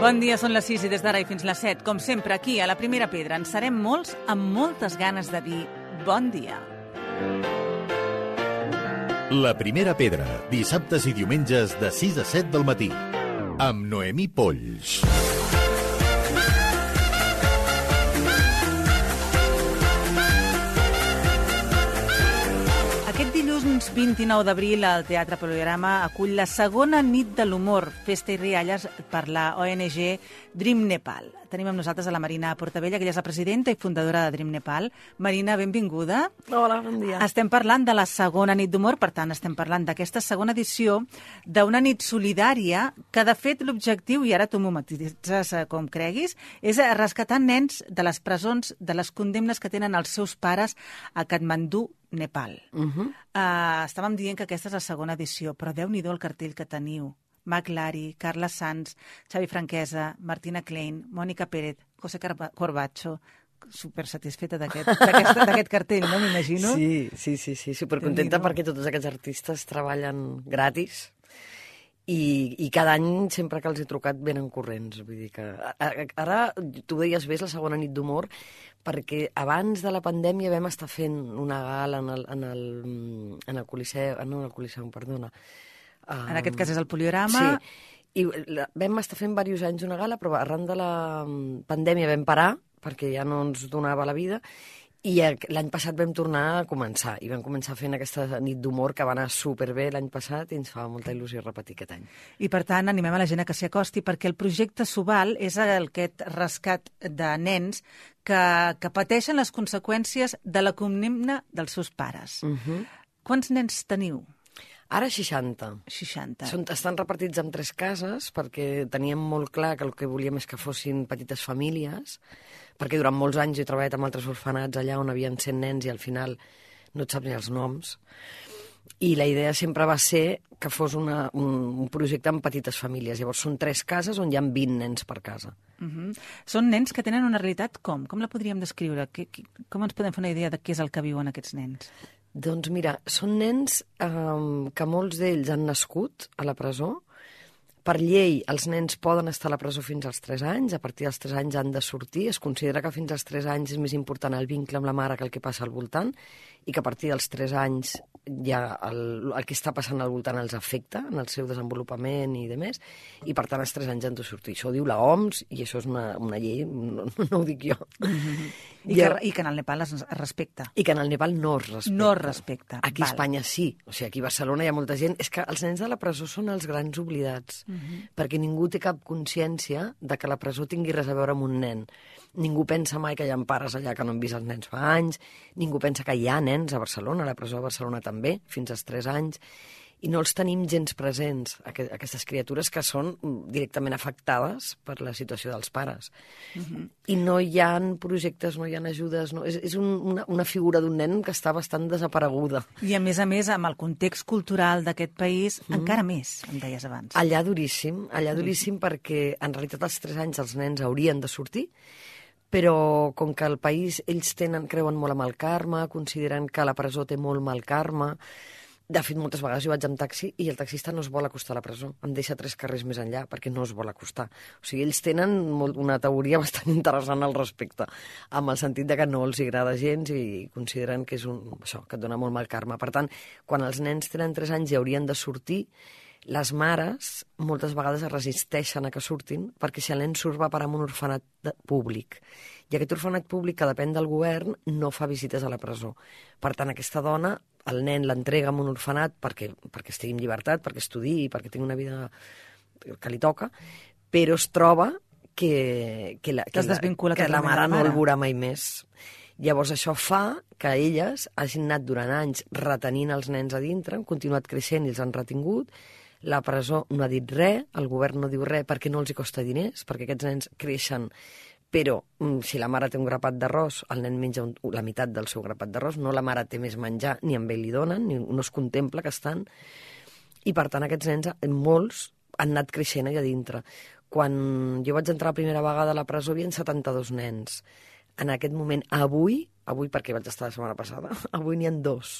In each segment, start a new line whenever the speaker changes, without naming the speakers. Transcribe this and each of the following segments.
Bon dia, són les 6 i des d'ara i fins les 7. Com sempre, aquí, a la Primera Pedra, en serem molts amb moltes ganes de dir bon dia.
La Primera Pedra, dissabtes i diumenges de 6 a 7 del matí, amb Noemí Polls.
Aquest dilluns 29 d'abril el Teatre Poliorama acull la segona nit de l'humor, festa i rialles per la ONG Dream Nepal. Tenim amb nosaltres a la Marina Portabella, que ella és la presidenta i fundadora de Dream Nepal. Marina, benvinguda.
Hola, bon dia.
Estem parlant de la segona nit d'humor, per tant, estem parlant d'aquesta segona edició d'una nit solidària que, de fet, l'objectiu, i ara tu m'ho matitzes com creguis, és rescatar nens de les presons, de les condemnes que tenen els seus pares a Katmandú, Nepal. Estàvem dient que aquesta és la segona edició, però Déu-n'hi-do el cartell que teniu. Mac Lari, Carla Sanz, Xavi Franquesa, Martina Klein, Mònica Pérez, José Corbacho, super satisfeta d'aquest cartell, no? M'imagino.
Sí, supercontenta perquè tots aquests artistes treballen gratis i cada any, sempre que els he trucat, venen corrents. Vull dir que ara, tu deies bé, és la segona nit d'humor, perquè abans de la pandèmia vam estar fent una gala en el Coliseu, no en el Coliseu, perdona.
En aquest cas és el Poliorama.
Sí, i vam estar fent diversos anys una gala, però arran de la pandèmia vam parar, perquè ja no ens donava la vida, i l'any passat vam tornar a començar, i vam començar fent aquesta nit d'humor que va anar superbé l'any passat i ens fa molta il·lusió repetir aquest any.
I per tant animem a la gent a que s'hi acosti, perquè el projecte Subal és aquest rescat de nens que pateixen les conseqüències de la condemna dels seus pares. Quants nens teniu?
Ara 60.
60.
Estan repartits en 3 cases perquè teníem molt clar que el que volíem és que fossin petites famílies, perquè durant molts anys he treballat amb altres orfenats allà on havien 100 nens i al final no et saps ni els noms. I la idea sempre va ser que fos un projecte amb petites famílies. Llavors són 3 cases on hi ha 20 nens per casa.
Són nens que tenen una realitat com? Com la podríem descriure? Com ens podem fer una idea de què és el que viuen aquests nens?
Doncs mira, són nens que molts d'ells han nascut a la presó. Per llei, els nens poden estar a la presó fins als 3 anys, a partir dels 3 anys han de sortir. Es considera que fins als 3 anys és més important el vincle amb la mare que el que passa al voltant, i que a partir dels 3 anys ja el que està passant al voltant els afecta en el seu desenvolupament i demés, i per tant als 3 anys han de sortir. Això ho diu la OMS i això és una llei, no ho dic jo.
I que en el Nepal es respecta.
I que en el Nepal no es respecta.
No es respecta.
Aquí a Espanya sí. O sigui, aquí a Barcelona hi ha molta gent. És que els nens de la presó són els grans oblidats, perquè ningú té cap consciència de que la presó tingui res a veure amb un nen. Ningú pensa mai que hi ha pares allà que no han vist els nens fa anys, ningú pensa que hi ha nens a Barcelona, a la presó de Barcelona també, fins als 3 anys, i no els tenim gens presents, aquestes criatures que són directament afectades per la situació dels pares. I no hi ha projectes, no hi ha ajudes, no, és una figura d'un nen que està bastant desapareguda.
I a més, amb el context cultural d'aquest país, encara més, em deies abans.
Allà duríssim perquè en realitat als 3 anys els nens haurien de sortir, però com que al país ells creuen molt en el karma, consideren que la presó té molt mal karma. De fet, moltes vegades jo vaig amb taxi i el taxista no es vol acostar a la presó. Em deixa 3 carrers més enllà perquè no es vol acostar. O sigui, ells tenen una teoria bastant interessant al respecte, amb el sentit de que no els agrada gens i consideren que és això, que et dona molt mal karma. Per tant, quan els nens tenen 3 anys i haurien de sortir, les mares moltes vegades es resisteixen a que surtin perquè si el nen surt va parar en un orfenat públic. I aquest orfenat públic, que depèn del govern, no fa visites a la presó. Per tant, aquesta dona, el nen l'entrega en un orfenat perquè estigui en llibertat, perquè estudiï, perquè tingui una vida que li toca, però es troba que la mare no el veurà mai més. Llavors això fa que elles hagin anat durant anys retenint els nens a dintre, han continuat creixent i els han retingut. La presó no ha dit res, el govern no diu res perquè no els hi costa diners, perquè aquests nens creixen, però si la mare té un grapat d'arròs, el nen menja la meitat del seu grapat d'arròs, no la mare té més menjar, ni amb ell li donen, ni no es contempla que estan. I per tant aquests nens, molts, han anat creixent allà dintre. Quan jo vaig entrar la primera vegada a la presó hi havia 72 nens. En aquest moment, avui perquè vaig estar la setmana passada, avui n'hi ha 2.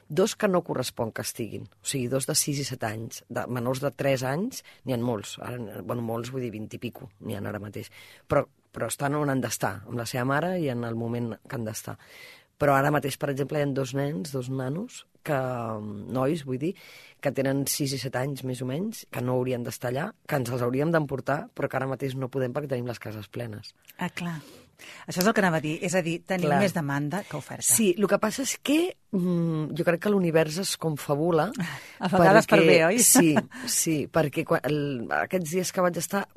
2 que no correspon que estiguin, o sigui, 2 de 6 i 7 anys, de menors de 3 anys, n'hi ha molts, ara, bueno, molts vull dir 20 i pico, n'hi ha ara mateix, però estan on han d'estar, amb la seva mare i en el moment que han d'estar. Però ara mateix, per exemple, hi ha 2 nens, 2 nanos, nois, vull dir, que tenen 6 i 7 anys, més o menys, que no haurien d'estar allà, que ens els hauríem d'emportar, però que ara mateix no podem perquè tenim les cases plenes.
Ah, clar. Això és el que anava a dir, és a dir, tenim més demanda que oferta.
Sí, el que passa és que jo crec que l'univers es confabula.
A vegades per bé, oi?
Sí, perquè aquests dies que vaig estar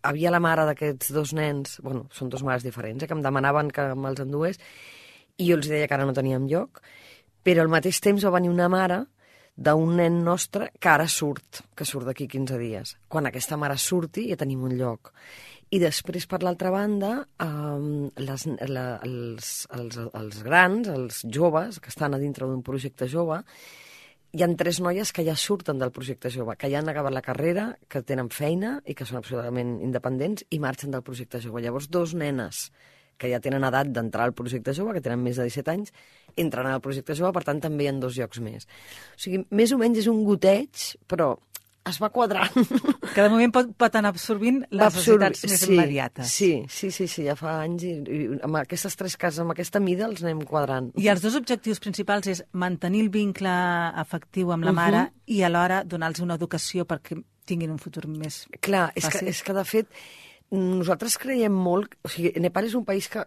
havia la mare d'aquests 2 nens, bueno, són 2 mares diferents, que em demanaven que me'ls endués, i jo els deia que ara no teníem lloc, però al mateix temps va venir una mare d'un nen nostre que ara surt, que surt d'aquí 15 dies. Quan aquesta mare surti ja tenim un lloc. I després, per l'altra banda, els grans, els joves, que estan a dintre d'un projecte jove, hi ha 3 noies que ja surten del projecte jove, que ja han acabat la carrera, que tenen feina i que són absolutament independents i marxen del projecte jove. Llavors, 2 nenes que ja tenen edat d'entrar al projecte jove, que tenen més de 17 anys, entren al projecte jove, per tant, també hi ha 2 llocs més. O sigui, més o menys és un goteig, però es va quadrant.
Que de moment pot anar absorbint les necessitats més immediates.
Sí, ja fa anys i amb aquestes 3 cases, amb aquesta mida, els anem quadrant.
I els 2 objectius principals és mantenir el vincle afectiu amb la mare i alhora donar-los una educació perquè tinguin un futur més fàcil.
Clar, és que de fet nosaltres creiem molt... O sigui, Nepal és un país que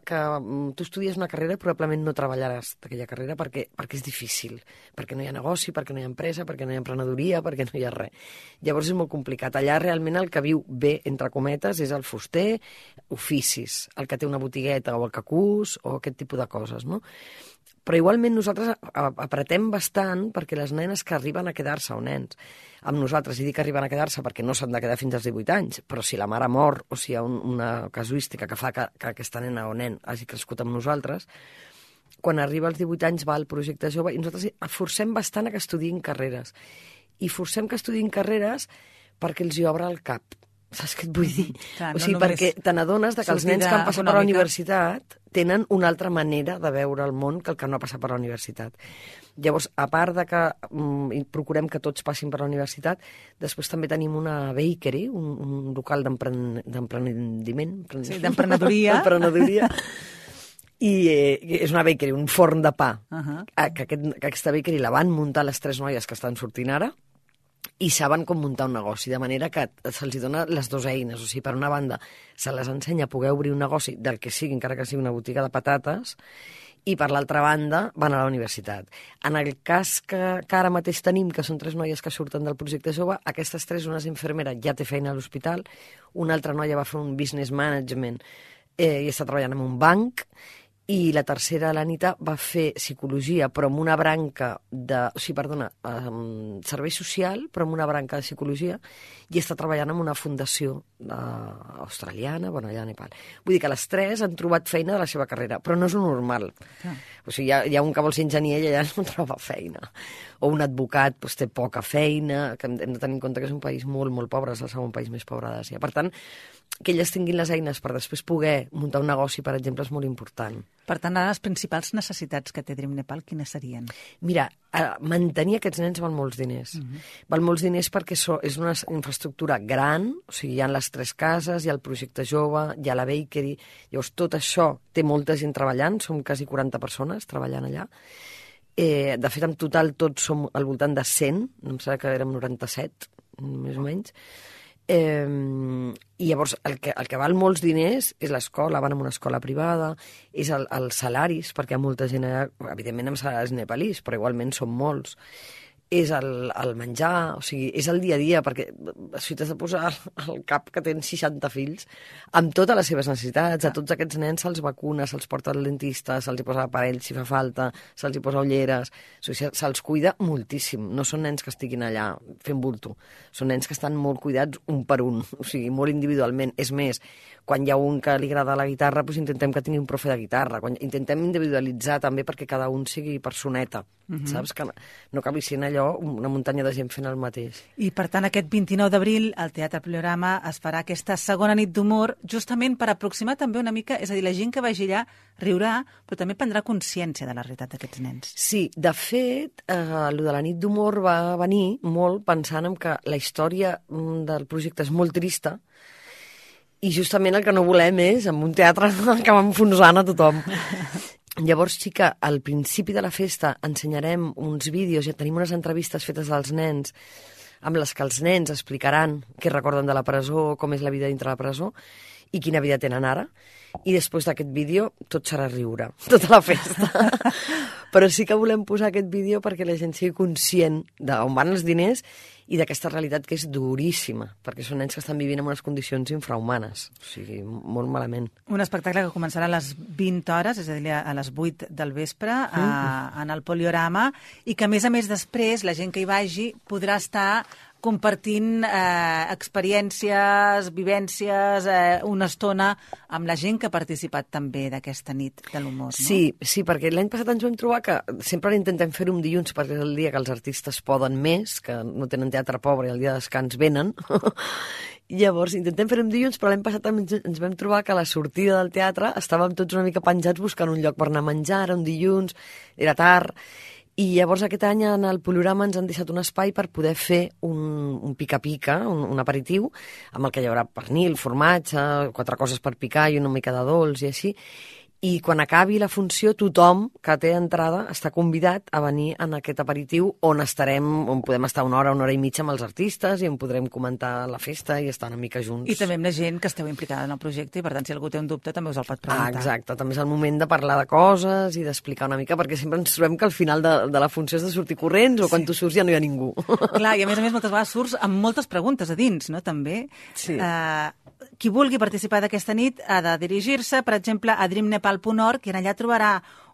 tu estudies una carrera i probablement no treballaràs d'aquella carrera perquè és difícil, perquè no hi ha negoci, perquè no hi ha empresa, perquè no hi ha emprenedoria, perquè no hi ha res. Llavors és molt complicat. Allà realment el que viu bé, entre cometes, és el fuster, oficis, el que té una botigueta o el que cus o aquest tipus de coses, no? Però igualment nosaltres apretem bastant perquè les nenes que arriben a quedar-se, o nens, amb nosaltres, i dic que arriben a quedar-se perquè no s'han de quedar fins als 18 anys, però si la mare mor o si hi ha una casuística que fa que aquesta nena o nen hagi crescut amb nosaltres, quan arriba als 18 anys va al projecte jove i nosaltres forcem bastant a que estudiïn carreres. I forcem que estudiïn carreres perquè els hi obre el cap. Saps què et vull dir?
Clar,
o sigui, perquè te n'adones que els nens que han passat per la universitat tenen una altra manera de veure el món que el que no ha passat per la universitat. Llavors, a part de que procurem que tots passin per la universitat, després també tenim una bakery, un local d'emprenediment.
Sí, d'emprenedoria.
D'emprenedoria. I és una bakery, un forn de pa. Que aquesta bakery la van muntar les 3 noies que estan sortint ara, i saben com muntar un negoci, de manera que se'ls dona les 2 eines. O sigui, per una banda, se les ensenya a poder obrir un negoci del que sigui, encara que sigui una botiga de patates, i per l'altra banda van a la universitat. En el cas que ara mateix tenim, que són 3 noies que surten del projecte jove, aquestes 3, una és infermera, ja té feina a l'hospital, una altra noia va fer un business management i està treballant en un banc, i la tercera, l'Anita, va fer psicologia, però amb una branca servei social, però amb una branca de psicologia, i està treballant en una fundació australiana, allà a Nepal. Vull dir que les 3 han trobat feina de la seva carrera, però no és un normal. O sigui, hi ha un que vol ser enginyer i allà no troba feina. O un advocat té poca feina, que hem de tenir en compte que és un país molt, molt pobre, és el segon país més pobre d'Àsia. Per tant, que elles tinguin les eines per després poder muntar un negoci, per exemple, és molt important.
Per tant, ara les principals necessitats que té Dream Nepal, quines serien?
Mira, mantenir aquests nens val molts diners. Val molts diners perquè és una infraestructura gran, o sigui, hi ha les 3 cases, hi ha el projecte jove, hi ha la bakery, llavors tot això té molta gent treballant, som quasi 40 persones treballant allà. De fet, en total tots som al voltant de 100, em sembla que érem 97, més o menys. I llavors el que val molts diners és l'escola, van a una escola privada, és els salaris, perquè hi ha molta gent allà, evidentment amb salaris nepalís, però igualment són molts, és el menjar, o sigui, és el dia a dia, perquè si t'has de posar al cap que tens 60 fills, amb totes les seves necessitats, a tots aquests nens se'ls vacuna, se'ls porta al dentista, se'ls hi posa aparells si fa falta, se'ls hi posa ulleres, o sigui, se'ls cuida moltíssim, no són nens que estiguin allà fent bulto, són nens que estan molt cuidats un per un, o sigui, molt individualment. És més, quan hi ha un que li agrada la guitarra, doncs intentem que tingui un profe de guitarra, intentem individualitzar també perquè cada un sigui personeta, saps? Que no acabi sent allò allò, una muntanya de gent fent el mateix.
I, per tant, aquest 29 d'abril al Teatre Poliorama es farà aquesta segona nit d'humor, justament per aproximar també una mica, és a dir, la gent que vagi allà riurà, però també prendrà consciència de la realitat d'aquests nens.
Sí, de fet, lo de la nit d'humor va venir molt pensant en que la història del projecte és molt trista, i justament el que no volem és, en un teatre, acabar enfonsant a tothom. Llavors sí que al principi de la festa ensenyarem uns vídeos, ja tenim unes entrevistes fetes als nens, amb les que els nens explicaran què recorden de la presó, com és la vida dintre la presó, i quina vida tenen ara. I després d'aquest vídeo tot serà riure, tota la festa. Però sí que volem posar aquest vídeo perquè la gent sigui conscient d'on van els diners i d'aquesta realitat que és duríssima, perquè són nens que estan vivint en unes condicions infrahumanes, o sigui, molt malament.
Un espectacle que començarà a les 20 hores, és a dir, a les 8 del vespre, en el Poliorama, i que, a més, després, la gent que hi vagi podrà estar compartint experiències, vivències, una estona amb la gent que ha participat també d'aquesta nit de l'humor, no?
Sí, perquè l'any passat ens vam trobar que sempre intentem fer-ho un dilluns perquè és el dia que els artistes poden més, que no tenen teatre pobre i el dia de descans venen. Llavors intentem fer-ho un dilluns, però l'any passat ens vam trobar que a la sortida del teatre estàvem tots una mica penjats buscant un lloc per anar a menjar, era un dilluns, era tard. I llavors aquest any en el Poliorama ens han deixat un espai per poder fer un pica-pica, un aperitiu, amb el que hi haurà pernil, formatge, 4 coses per picar i una mica de dolç i així. I quan acabi la funció, tothom que té entrada està convidat a venir en aquest aperitiu on podem estar una hora i mitja amb els artistes i on podrem comentar la festa i estar una mica junts.
I també amb la gent que esteu implicada en el projecte i, per tant, si algú té un dubte, també us el pot preguntar.
Exacte, també és el moment de parlar de coses i d'explicar una mica, perquè sempre ens trobem que al final de la funció has de sortir corrents o quan tu surts ja no hi ha ningú.
Clar, i a més, moltes vegades surts amb moltes preguntes a dins, no?, també.
Sí.
Qui vulgui participar d'aquesta nit ha de dirigir-se, per exemple, a dreamnepal.org, i allà trobarà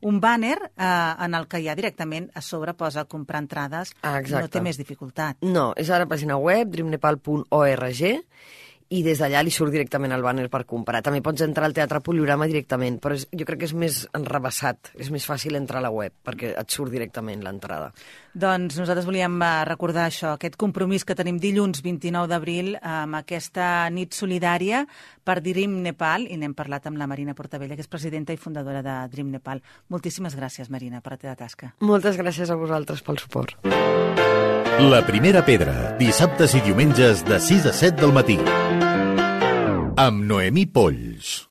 un bàner en el que ja directament a sobre posa comprar entrades.
Exacte.
No té més dificultat.
No, és a la pàgina web, dreamnepal.org, i des d'allà li surt directament el bàner per comprar. També pots entrar al Teatre Poliorama directament, però jo crec que és més enrevessat, és més fàcil entrar a la web, perquè et surt directament l'entrada.
Doncs nosaltres volíem recordar això, aquest compromís que tenim dilluns 29 d'abril amb aquesta nit solidària per Dream Nepal, i n'hem parlat amb la Marina Portabella, que és presidenta i fundadora de Dream Nepal. Moltíssimes gràcies, Marina, per la teva tasca.
Moltes gràcies a vosaltres pel suport.
La Primera Pedra, dissabtes i diumenges de 6 a 7 del matí. Amb Noemí Polls.